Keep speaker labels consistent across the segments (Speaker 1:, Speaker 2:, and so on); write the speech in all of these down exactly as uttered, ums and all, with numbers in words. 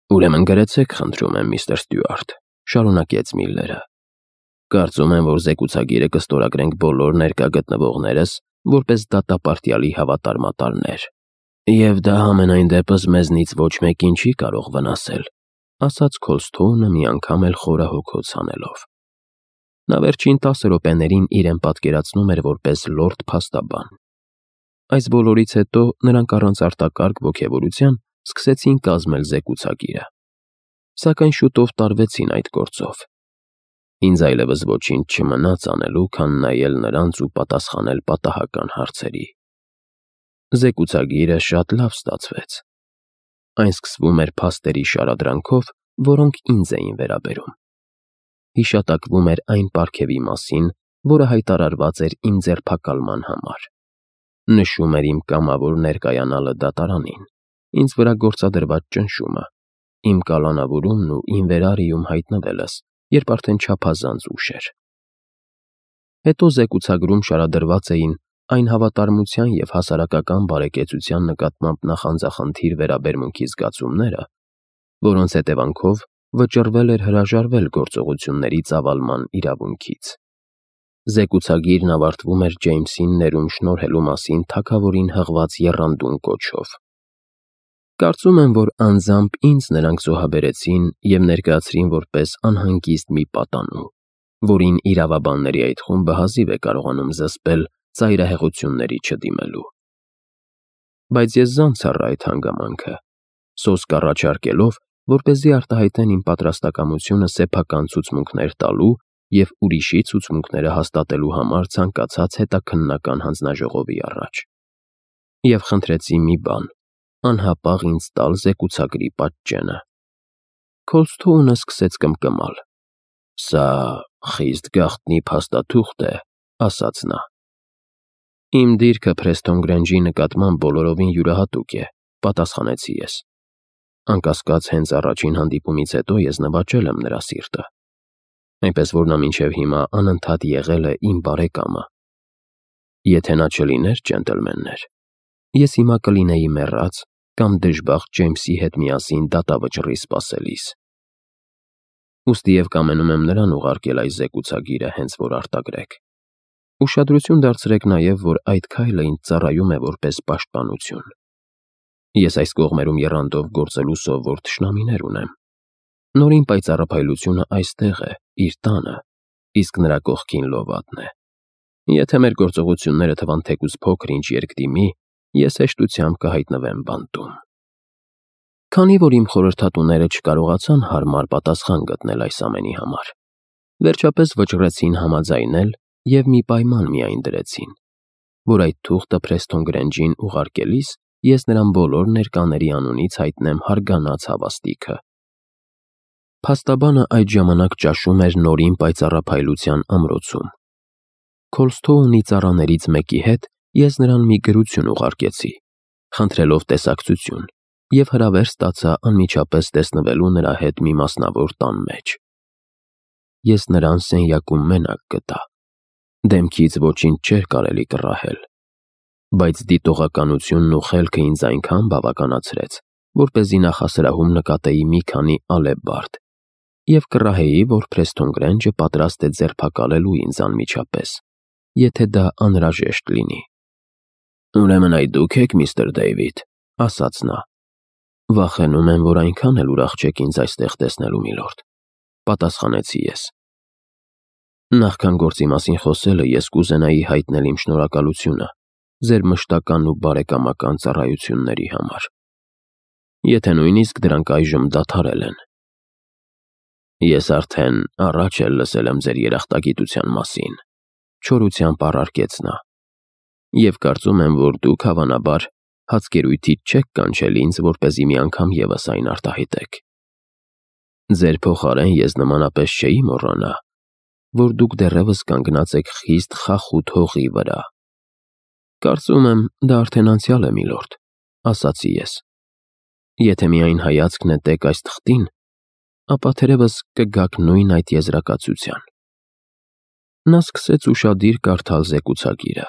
Speaker 1: Ուրեմն գրեցեք, խնդրում եմ, միստր Ստյուարտ, շարունակեց Միլլերը։ Կարծում եմ, որ զեկուցագիրը կստորագրենք բոլոր ներկա գտնվողներս որպես դատապարտյալի հավատարմատարներ։ Եվ դա համենայն դեպս մեզնից ոչ մեկին չի կարող վնասել, ասաց Քոլսթոունը մի անգամ էլ խորահոգոց անելով։ Նա վերջին տասը րոպեներին իրեն պատկերացնում էր որպես լորդ փաստաբան։ Այս բոլորից հետո նրանք առանց արտակարգ ոգևորության սկսեցին կազմել զեկուցագիրը։ Սակայն շուտով տարվեցին այդ գործով։ Ինձ այլևս ոչինչ չմնաց անելու, քան նայել նրանց ու պատասխանել պատահական հարցերի։ Զեկուցագիրը շատ լավ ստացվեց։ Այն սկսվում էր փաստերի շարադրանքով, որոնք ինձ էին վերաբերում։ Հիշատակվում էր այն պարգևի մասին, որը հայտարարված էր իմ ձերբակալման համար։ Նշում էր իմ կամավոր ներկայանալը դատարանին, ինձ վրա գործադրված ճնշումը, իմ կալանավորումն ու իմ վերարիում հայտնվելս, երբ արդեն չափազանց ուշ էր։ Հետո զեկուցագրում շարադրված էին այն հավատարմության և հասարակական բարեկեցության նկատմամբ նախանձախնդիր վերաբերմունքի զգացումները, որոնց հետևանքով վճռվել էր հրաժարվել գործողությունների ծավալման իրավունքից։ Զեկուցագիրն ավարտվում էր Ջեյմսին ներում շնորհելու մասին թագավորին հղված եռանդուն կոչով։ Կարծում եմ, որ անձամբ ինձ նրանք զոհաբերեցին և ներկայացրին որպես անհանգիստ մի պատանու, որին իրավաբանների այդ խումբը հազիվ է կարողանում զսպել ծայրահեղությունների չդիմելու։ Բայց ես զանց առա այդ հանգամանքը, սոսկ առաջարկելով, որպեսզի արտահայտեն իմ պատրաստակամությունը սեփական ցուցմունքներ տալու և ուրիշի ցուցմունքները հաստատելու համար ցանկացած հետաքննական հանձնաժողովի առաջ։ Եվ խնդրեցի մի բան՝ անհապաղ ինձ տալ զեկուցագրի պատճենը։ Քոլսթոունը սկսեց կմկմալ։ Սա խիստ գաղտնի փաստաթուղթ է, ասաց նա։ Իմ դիրքը Փրեսթոն Գրենջի նկատմամբ բոլորովին յուրահատուկ է, պատասխանեցի ես։ Անկասկած, հենց առաջին հանդիպումից հետո ես նվաճել եմ նրա սիրտը, այնպես որ նա մինչև հիմա անընդհատ եղել է իմ բարեկամը։ Եթե նա չլիներ, ջենտլմեններ, ես հիմա կլինեի մեռած կամ դժբախտ Ջեյմսի հետ միասին դատավճռի սպասելիս։ Ուստի և կամենում եմ նրան ուղարկել այս զեկուցագիրը, հենց որ արտագրեք։ Ուշադրություն դարձրեք նաև, որ այդ քայլը ինձ ծառայում է որպես պաշտպանություն։ Ես այս կողմերում եռանդով գործելու սովոր թշնամիներ ունեմ։ Նորին պայծառափայլությունը այստեղ է, իր տանը, իսկ նրա կողքին լովատն է։ Եթե մեր գործողությունները թվան թեկուզ փոքր-ինչ երկդիմի, ես հեշտությամբ կհայտնվեմ բանտում։ Քանի որ իմ խորհրդատուները չկարողացան հարմար պատասխան գտնել այս ամենի համար, վերջապես վճռեցին համաձայնել և մի պայման միայն դրեցին, որ այդ թուղթը Փրեսթոն Գրենջին ուղարկելիս ես նրան բոլոր ներկաների անունից հայտնեմ հարգանած հավաստիքը։ Փաստաբանը այդ ժամանակ ճաշում էր նորին պայծառափայլության ամրոցում։ Քոլսթոունի ծառաներից մեկի հետ ես նրան մի գրություն ուղարկեցի, խնդրելով տեսակցություն, և հրավեր ստացա անմիջապես տեսնվելու նրա հետ մի մասնավոր տան մեջ։ Ես նրան սենյակում մենակ գտա։ Դեմքից ոչինչ չէր կարելի կռահել, բայց դիտողականությունն ու խելքը ինձ այնքան բավականացրեց, որպեսզի նախասրահում նկատեի մի քանի ալեբարդ և կռահեի, որ Փրեսթոն Գրենջը պատրաստ է ձերբակալելու ինձ անմիջապես, եթե դա անհրաժեշտ լինի։ Ուրեմն այդ դուք եք, միստր Դեյվիդ, ասաց նա։ Վախենում եմ, որ այնքան էլ ուրախ չեք ինձ այստեղ տեսնելու, միլորդ, պատասխանեցի ես։ Նախքան գործի մասին խոսելը ես կուզենայի հայտնել իմ շնորհակալությունը ձեր մշտական ու բարեկամական ծառայությունների համար, եթե նույնիսկ դրանք այժմ դադարել են։ Ես արդեն առաջ էլ լսել եմ ձեր երախտագիտության մասին, չորությամբ առարկեց նա, և կարծում եմ, որ դուք հավանաբար հացկերույթից չեք կանչել ինձ, որպեսզի մի անգամ ևս այն արտահայտեք։ Ձեր փոխարեն ես նմանապես չէի մոռանա, որ դուք դեռևս կանգնած եք խիստ խախուտ հողի վրա։ Կարծում եմ, դա արդեն անցյալ է, միլորդ, ասացի ես։ Եթե միայն հայացք նետեք այս թղթին, ապա թերևս կգաք նույն այդ եզրակացության։ Նա սկսեց ուշադիր կարդալ զեկուցագիրը,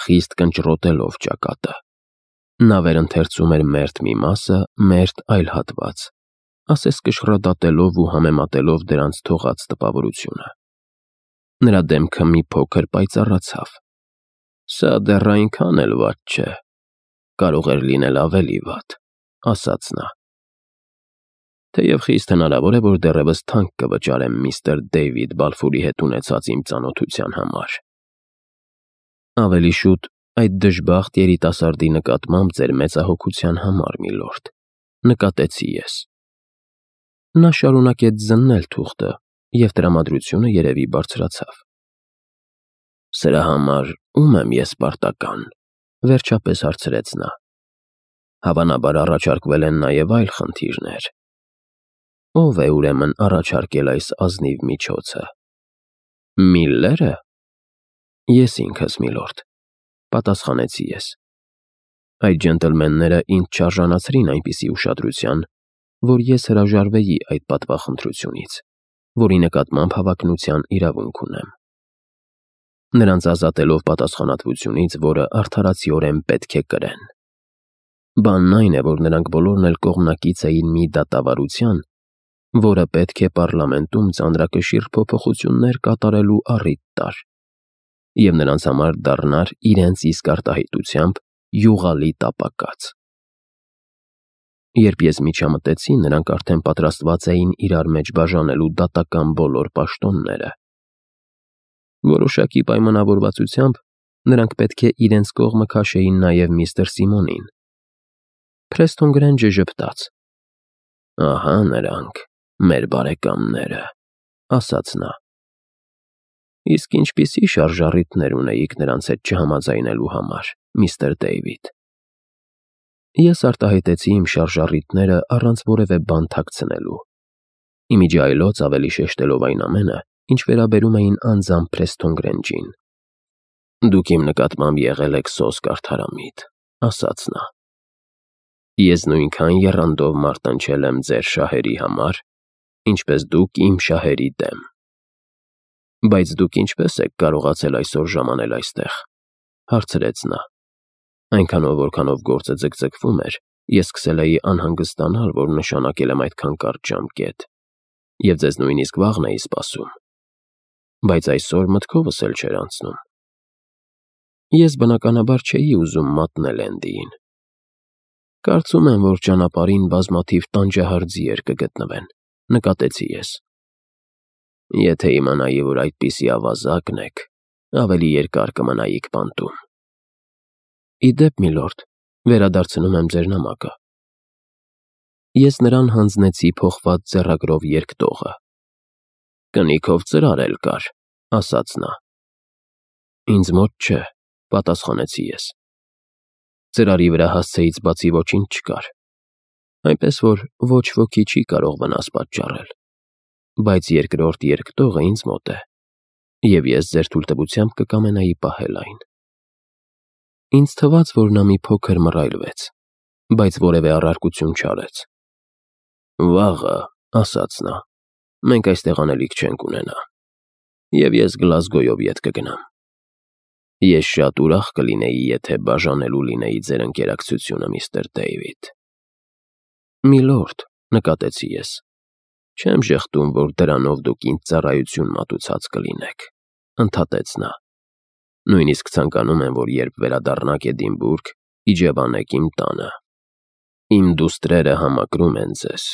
Speaker 1: խիստ կնճռոտելով ճակատը։ Նա վերընթերցում էր մերթ մի մասը, մերթ այլ հատված, ասես կշռադատելով ու համեմատելով դրանց թողած տպավորությունը։ Նրա դեմքը մի փոքր պայծառացավ։ Սա դեռ այնքան էլ վատ չէ, կարող էր լինել ավելի վատ, ասաց նա։ Թեև խիստ հնարավոր է, որ դեռևս թանկ կվճարեմ միստր Դեյվիդ Բալֆուրի հետ ունեցած իմ ծանոթության համար։ Ավելի շուտ այդ դժբախտ երիտասարդի նկատմամբ ձեր մեծահոգության համար, միլորդ, նկատեցի ես։ Նա շարունակեց զննել թուղթը, և տրամադրությունը երևի բարձրացավ։ Սրա համար ո՞ւմ եմ ես պարտական, վերջապես հարցրեց նա։ Հավանաբար առաջարկվել են նաև այլ խնդիրներ։ Ո՞վ է ուրեմն առաջարկել այս ազնիվ միջոցը։ Միլլերը։ Ես ինքս, միլորդ, պատասխանեցի ես։ Այդ ջենտլմենները ինձ չարժանացրին այնպիսի ուշադրության, որ ես հրաժարվեի այդ պատվախնդրությունից, որի նկատմամբ հավակնության իրավունք ունեմ։ Նրանց ազատելով պատասխանատվությունից, որը արդարացիորեն պետք է կրեն։ Բանն այն է, որ նրանք բոլորն էլ կողմնակից էին մի դատավարության, որը պետք է պարլամենտում ծանրակշիռ փոփոխություններ կատարելու առիթ տար, և նրանց համար դառնար իրենց իսկ արտահայտությամբ յուղալի տապակած։ Երբ ես միջամտեցի, նրանք արդեն պատրաստված էին իրար մեջ բաժանելու դատական բոլոր պաշտոնները։ Որոշակի պայմանավորվածությամբ նրանք պետք է իրենց կողմը քաշեին նաև միստր Սիմոնին։ Փրեստոն Գրենջը ժպտաց։ Ահա նրանք, մեր բարեկամները, ասաց նա։ Իսկ ինչպիսի շարժառիթներ ունեիք նրանց հետ չհամաձայնելու համար, միստր Դեյվիդ։ Ես արտահայտեցի իմ շարժառիթները առանց որևէ բան թաքցնելու, իմիջի այլոց ավելի շեշտելով այն ամենը, ինչ վերաբերում էին անձամբ Փրեստոն Գրենջին։ Դուք իմ նկատմամբ եղել եք սոսկ արդարամիտ, ասաց նա։ Ես նույնքան եռանդով մարտնչել եմ ձեր շահերի համար, ինչպես դուք իմ շահերի դեմ։ Բայց դուք ինչպես եք կարողացել այսօր ժամանել այստեղ, հարցրեց նա։ Այնքանով, որքանով գործը ձգձգվում էր, ես սկսել էի անհանգստանալ, որ նշանակել եմ այդքան կարճ ժամկետ, և ձեզ նույնիսկ վաղն էի սպասում։ Բայց այսօր մտքովս էլ չէր անցնում։ Ես բնականաբար չէի ուզում մատնել Էնդիին։ Կարծում եմ, որ ճանապարհին բազմաթիվ տանջահար ձիեր կգտնվեն, նկատեցի ես։ Եթե իմանայի, որ այդպիսի ավազակն եք, ավելի երկար կմնայիք բանտում։ Ի դեպ, միլորդ, վերադարձնում եմ ձեր նամակը։ Ես նրան հանձնեցի փոխված ձեռագրով երկտողը։ Կնիքով ծրար էլ կար, ասաց նա։ Ինձ մոտ չէ, պատասխանեցի ես։ Ծրարի վրա հասցեից բացի ոչինչ չկար, այնպես որ ոչ ոքի չի կարող վնաս պատճառել, բայց երկրորդ երկտողը ինձ մոտ է, և ես ձեր թույլտվությամբ կկամենայի պահել այն։ Ինձ թվաց, որ նա մի փոքր մռայլվեց, բայց որևէ առարկություն չարեց։ Վաղը, ասաց նա, մենք այստեղ անելիք չենք ունենա, և ես Գլազգոյով ետ կգնամ։ Ես շատ ուրախ կլինեի, եթե բաժանելու լինեի ձեր ընկերակցությունը, միստր Դեյվիդ։ Միլորդ, նկատեցի ես, չեմ ժխտում, որ դրանով դուք ինձ ծառայություն մատուցած կլինեք, ընդհատեց նա։ Նույնիսկ ցանկանում եմ, որ երբ վերադառնաք Էդինբուրգ, իջևանեք իմ տանը։ Իմ դուստրերը համակրում են ձեզ,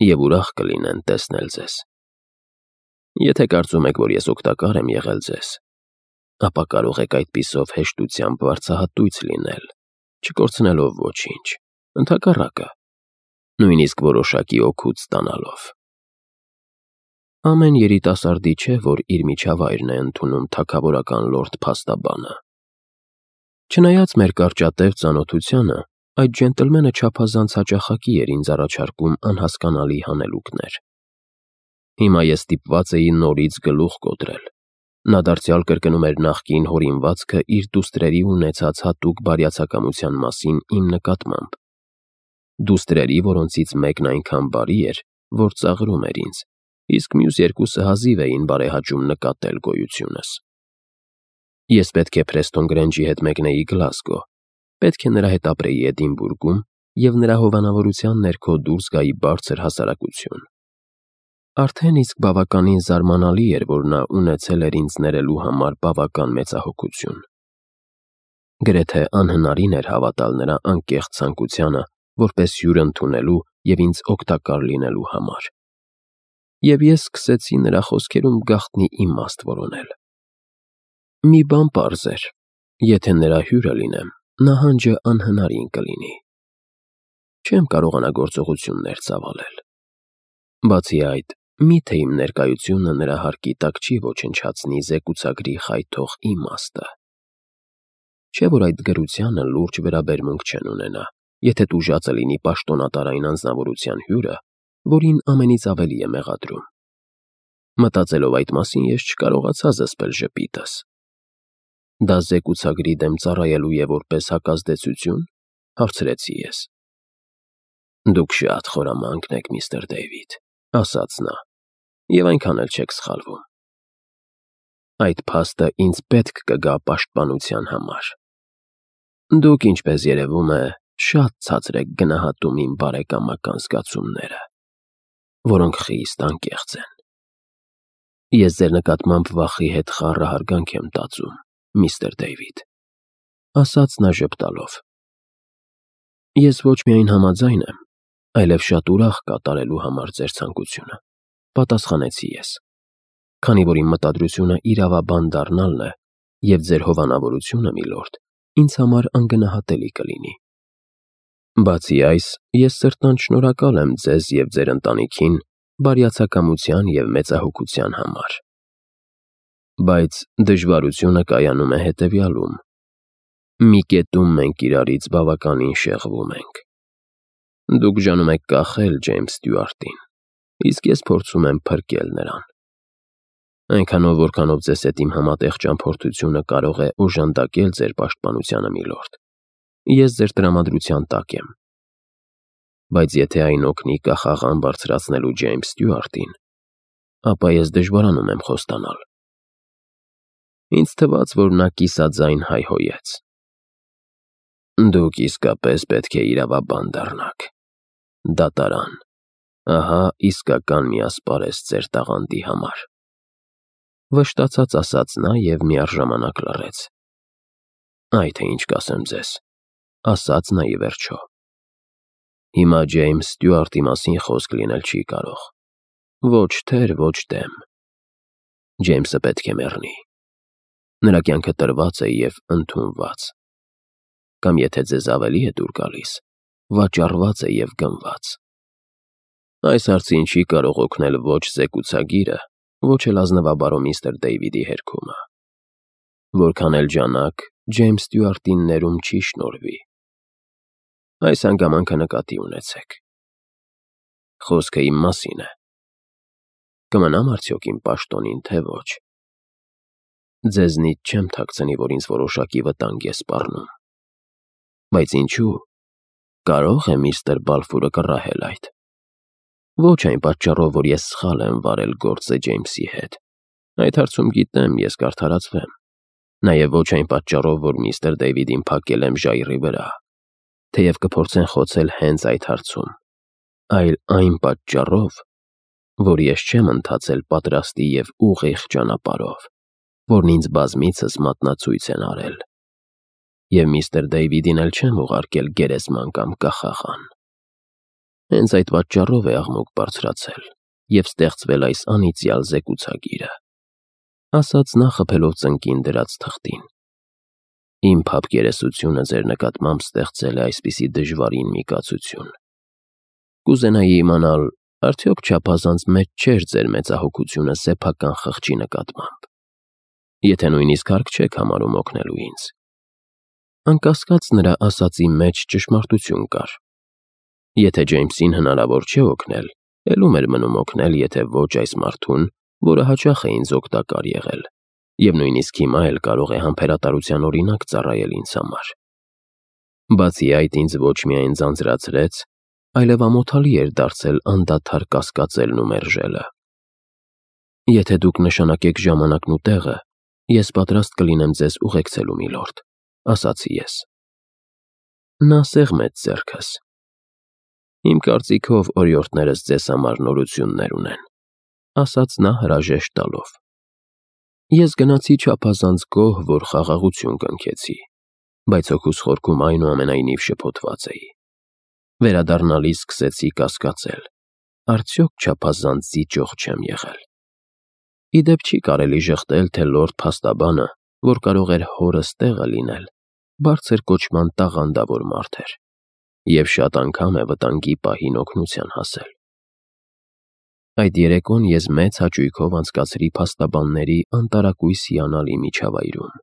Speaker 1: և ուրախ կլինեն տեսնել ձեզ։ Եթե կարծում եք, որ ես օգտակար եմ եղել ձեզ, ապա կարող եք այդպիսով հեշտությամբ վարձահատույց լինել, չկորցնելով ոչինչ, ընդհակառակը, նույնիսկ որոշակի օգուտ ստանալով։ Ամեն երիտասարդի չէ, որ իր միջավայրն է ընդունում թագավորական լորդ փաստաբանը։ Չնայած մեր կարճատև ծանոթությանը, այդ ջենտլմենը չափազանց հաճախակի էր ինձ առաջարկում անհասկանալի հանելուկներ։ Հիմա ես ստիպված էի նորից գլուխ կոտրել։ Նա դարձյալ կրկնում էր նախկին հորինվածքը իր դուստրերի ունեցած հատուկ բարյացակամության մասին իմ նկատմամբ։ Դուստրերի, որոնցից մեկն այնքան բարի էր, որ ծաղրում էր ինձ, իսկ մյուս երկուսը հազիվ էին բարեհաճում նկատել գոյությունս։ Ես պետք է Փրեստոն Գրենջի հետ մեկնեի Գլազգո, պետք է նրա հետ ապրեի Էդինբուրգում և նրա հովանավորության ներքո դուրս գայի բարձր հասարակություն։ Արդեն իսկ բավականին զարմանալի էր, որ նա ունեցել էր ինձ ներելու համար բավական մեծահոգություն։ Գրեթե անհնարին էր հավատալ նրա անկեղծ ցանկությանը որպես հյուր ընդունելու և ինձ օգտակար լինելու համար։ Եվ ես սկսեցի նրա խոսքերում գաղտնի իմաստ որոնել։ Մի բան պարզ էր. եթե նրա հյուրը լինեմ, նահանջը անհնարին կլինի։ Չեմ կարողանա գործողություններ ծավալել։ Բացի այդ, միթե իմ ներկայությունը նրա հարկի տակ չի ոչնչացնի զեկուցագրի խայթող իմաստը։ Չէ՞ որ այդ գրությանը լուրջ վերաբերմունք չեն ունենա, եթե տուժածը լինի պաշտոնատարային անձնավորության հյուրը, որին ամենից ավելի է մեղադրում։ Մտածելով այդ մասին, ես չկարողացա զսպել ժպիտս։ Դա զեկուցագրի դեմ ծառայելու է որպես հակազդեցություն, հարցրեցի ես։ Դուք շատ խորամանկ եք, միստր Դեյվիդ, ասաց նա, և այնքան էլ չեք սխալվում։ Այդ փաստը ինձ պետք կգա պաշտպանության համար։ Դուք, ինչպես երևում է, շատ ցածր եք գնահատում իմ բարեկամական զգացումները, որոնք խիստ անկեղծ են։ Ես ձեր նկատմամբ վախի հետ խառը հարգանք եմ տածում, միստր Դեյվիդ, ասաց նա ժպտալով։ Ես ոչ միայն համաձայն եմ, այլև շատ ուրախ կատարելու համար ձեր ցանկությունը, պատասխանեցի ես, քանի որ իմ մտադրությունը իրավաբան դառնալն է, և ձեր հովանավորությունը, միլորդ, ինձ համար անգնահատելի կլինի։ Բացի այս, ես սրտանց շնորհակալ եմ ձեզ և ձեր ընտանիքին բարյացակամության և մեծահոգության համար։ Բայց դժվարությունը կայանում է հետևյալում. մի կետում մենք իրարից բավականին շեղվում ենք։ Դուք ժանում եք կախել Ջեյմս Ստյուարտին, իսկ ես փորձում եմ փրկել նրան։ Այնքանով, որքանով ձեզ հետ իմ համատեղ ճամփորդությունը կարող է օժանդակել ձեր պաշտպանությանը, միլորդ, ես ձեր տրամադրության տակ եմ։ Բայց եթե այն օգնի կախաղան բարձրացնելու Ջեյմս Ստյուարտին, ապա ես դժվարանում եմ խոստանալ։ Ինձ թվաց, որ նա կիսաձայն հայհոյեց։ Դուք իսկապես պետք է իրավաբան դառնաք։ Դատարան։ Ահա իսկական մի ասպարեզ ձեր տաղանդի համար։ Վշտացած ասաց նա և միառժամանակ լռեց։ Այ թե ինչ կասեմ ձեզ, ասաց նա ի վերջո։ Հիմա Ջեյմս Ստյուարտի մասին խոսք լինել չի կարող։ Ոչ թեր, ոչ դեմ։ Ջեյմսը պետք է մեռնի։ Նրա կյանքը տրված է և ընդունված։ Կամ եթե ձեզ ավելի է դուր գալիս, վաճառված է և գնված։ Այս հարցին չի կարող օգնել ոչ զեկուցագիրը, ոչ էլ ազնվաբարո միստր Դեյվիդի հերքումը։ Որքան էլ ջանաք, Ջեյմս Ստյուարտին ներում չի շնորհվի։ Այս հանգամանքը նկատի ունեցեք։ Խոսքը իմ մասին է։ Կմնամ արդյոք իմ պաշտոնին, թե ոչ։ Ձեզնից չեմ թաքցնի, որ ինձ որոշակի վտանգ է սպառնում։ Բայց ինչու՞։ Կարո՞ղ է միստր Բալֆուրը կռահել այդ։ Ոչ այն պատճառով, որ ես սխալ եմ վարել գործը Ջեյմսի հետ։ Այդ հարցում գիտեմ, ես կարդարացվեմ։ Նաև ոչ այն պատճառով, որ միստր Դեյվիդին փակել եմ ժայռի վրա, թեև կփորձեն խոցել հենց այդ հարցում, այլ այն պատճառով, որ ես չեմ ընթացել պատրաստի և ուղիղ ճանապարհով, որն ինձ բազմիցս մատնացույց են արել, և միստր Դեյվիդին էլ չեմ ուղարկել գերեզման կամ կախաղան։ Հենց այդ պատճառով է աղմուկ բարձրացել և ստեղծվել այս անիծյալ զեկուցագիրը, ասաց նա խփելով ծնկին դրած թղթին։ Իմ փափկերեսությունը ձեր նկատմամբ ստեղծել է այսպիսի դժվարին մի կացություն։ Կուզենայի իմանալ, արդյոք չափազանց մեծ չէր ձեր մեծահոգությունը սեփական խղճի նկատմամբ, եթե նույնիսկ հարկ չեք համարում օգնելու ինձ։ Անկասկած նրա ասածի մեջ ճշմարտություն կար։ Եթե Ջեյմսին հնարավոր չէ օգնել, էլ ում էր մնում օգնել, եթե ոչ այս մարդուն, որը հաճախ է ինձ օգտակար եղել, և նույնիսկ հիմա էլ կարող է համբերատարության օրինակ ծառայել ինձ համար։ Բացի այդ, ինձ ոչ միայն ձանձրացրեց, այլև ամոթալի էր դարձել անդադար կասկածելն ու մերժելը։ Եթե դուք նշանակեք ժամանակն ու տեղը, ես պատրաստ կլինեմ ձեզ ուղեկցելու, միլորդ, ասացի ես։ Նա սեղմեց ձեռքս, Իմ կարծիքով օրիորդներս ձեզ համար նորություններ ունեն, ասաց նա հրաժեշտ տալով։ Ես գնացի չափազանց գոհ, որ խաղաղություն կնքեցի, բայց հոգուս խորքում այնուամենայնիվ շփոթված էի։ Վերադառնալիս սկսեցի կասկածել. արդյոք չափազանց զիջող չեմ եղել։ Ի դեպ չի կարելի ժխտել, թե լորդ փաստաբանը, որ կարող էր հորս տեղը լինել, բարձր կոչման տաղանդավոր մարդ էր, և շատ անգամ է վտանգի պահին օգնության հասել։ Այդ երեկոն ես մեծ հաճույքով անցկացրի փաստաբանների անտարակույս հիանալի միջավայրում,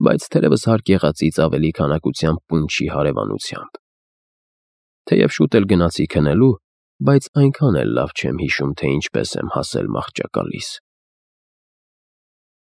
Speaker 1: բայց թերևս հարկ եղածից ավելի քանակությամբ պունչի հարևանությամբ։ Թեև շուտ էլ գնացի քնելու, բայց այնքան էլ լավ չեմ հիշում, թե ինչպես եմ հասել մահճակալիս։